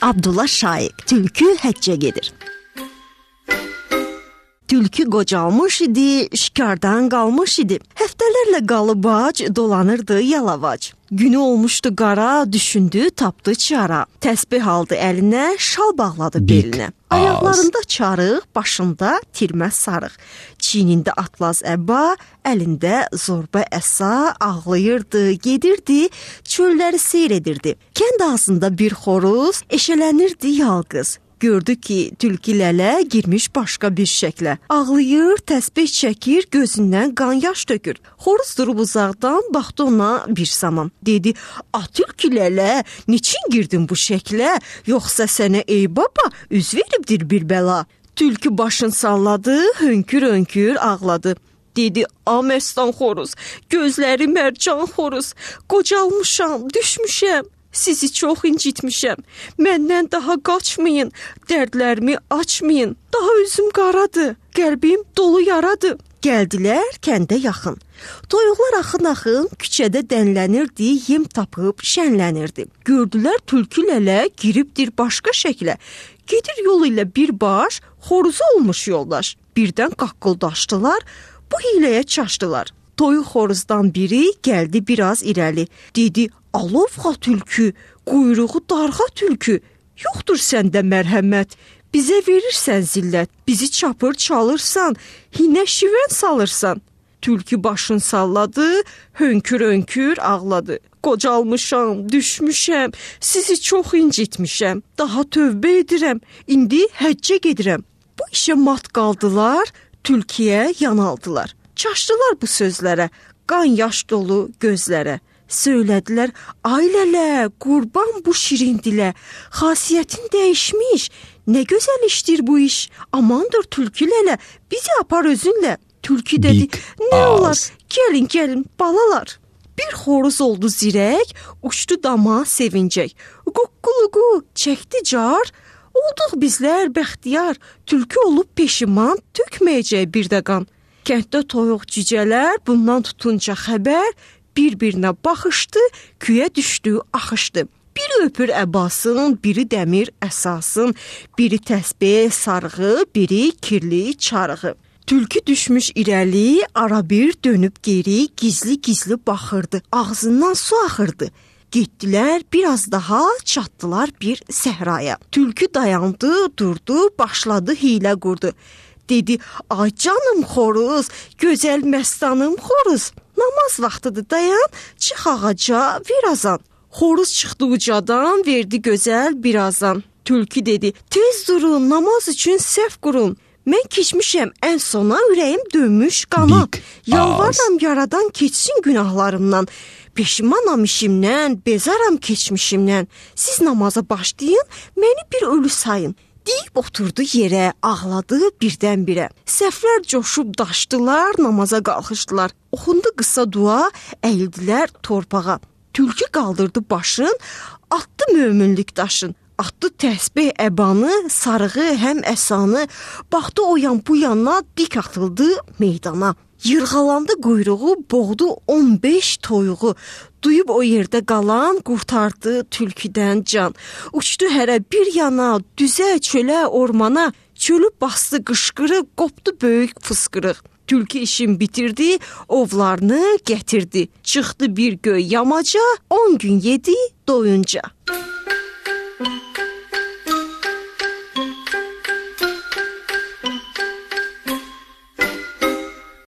Abdullah Şaiq, tülkü həccə gedir. Tülkü qocalmış idi, şikardan qalmış idi. Həftələrlə qalıbac dolanırdı yalavac. Günü olmuşdu qara, düşündü, tapdı çara. Təsbih aldı əlinə, şal bağladı belinə. Ayaqlarında çarıq, başında tirməz sarıq. Çiynində atlas əba, əlində zorba əsa, ağlayırdı, gedirdi, çölləri seyr edirdi. Kənd ağzında bir xoruz, eşələnirdi yalqız. Gördü ki, tülkü lələ girmiş başqa bir şəklə. Ağlayır, təsbih çəkir, gözündən qan yaş tökür. Xoruz durub uzaqdan baxdı ona bir zaman. Dedi, tülkü lələ, niçin girdin bu şəklə? Yoxsa sənə ey baba, üz veribdir bir bəla. Tülkü başını salladı, hönkür-hönkür ağladı. Dedi, Məstan xoruz, gözləri mərcan xoruz, qocalmışam, düşmüşəm. Sizi çox incitmişəm. Məndən daha qaçmayın, dərdlərimi açmayın. Daha üzüm qaradır, qəlbim dolu yaradır. Gəldilər kəndə yaxın. Toyuqlar axın-axın küçədə dənlənirdi, yem tapıb şənlənirdi. Gördülər tülkü lələ giribdir başqa şəklə. Gedir yol ilə bir baş, xoruzu olmuş yoldaş. Birdən qaqqıldaşdılar, bu hiləyə çaşdılar. Toyuq xoruzdan biri gəldi biraz irəli. Dedi, alovğa tülkü, quyruğu darğa tülkü. Yoxdur səndə mərhəmət, bizə verirsən zillət. Bizi çapır çalırsan, hinə şivən salırsan. Tülkü başını salladı, hönkür-hönkür ağladı. Qocalmışam, düşmüşəm, sizi çox incitmişəm. Daha tövbə edirəm, indi həccə gedirəm. Bu işə mat qaldılar, tülküyə yanaldılar. Çaşdılar bu sözlərə, qan yaş dolu gözlərə. Söylədilər, ay lələ, qurban bu şirin dilə, xasiyyətin dəyişmiş, nə gözəl işdir bu iş, amandır tülkü lələ, bizi apar özünlə. Tülkü dedi, nə olar, gəlin, balalar. Bir xoruz oldu zirək, uçdu dama sevincək. Quqquluqu çəkdi car, olduq bizlər bəxtiyar, tülkü olub peşiman, tökməyəcək bir də qan. Kənddə toyuq cücələr bundan tutunca xəbər, bir-birinə baxışdı, küyə düşdü, axışdı. Biri öpür əbasın, biri dəmir əsasın, biri təsbih sarığı, biri kirli çarığı. Tülkü düşmüş irəli, ara bir dönüb geri, gizli-gizli baxırdı, ağzından su axırdı. Getdilər, biraz daha çatdılar bir səhraya. Tülkü dayandı, durdu, başladı hilə qurdu. Dedi, ay canım xoruz, gözəl məstanım xoruz, namaz vaxtıdır dayan, çıx ağaca virazan. Xoruz çıxdı ucadan, verdi gözəl birazan. Tülkü dedi, tez durun, namaz üçün səhv qurun. Mən keçmişəm ən sona, ürəyim dönmüş qana. Yalvarıram yaradan keçsin günahlarımdan. Peşimanam işimdən, bezaram keçmişimdən. Siz namaza başlayın, məni bir ölü sayın. Deyib oturdu yerə, ağladı birdən-birə. Səflər coşub daşdılar, namaza qalxışdılar. Oxundu qısa dua, əyildilər torpağa. Tülkü qaldırdı başın, atdı möminlik daşın. Atdı təsbih əbanı, sarığı, həm əsanı. Baxdı o yan bu yana, dik atıldı meydana. Yırğalandı quyruğu, boğdu 15 toyuğu. Duyub o yerdə qalan, qurtardı tülküdən can. Uçdu hərə bir yana, düzə, çölə, ormana. Çölü bastı qışqırıq, qopdu böyük fısqırıq. Tülkü işin bitirdi, ovlarını gətirdi. Çıxdı bir göy yamaca, 10 gün yedi doyunca.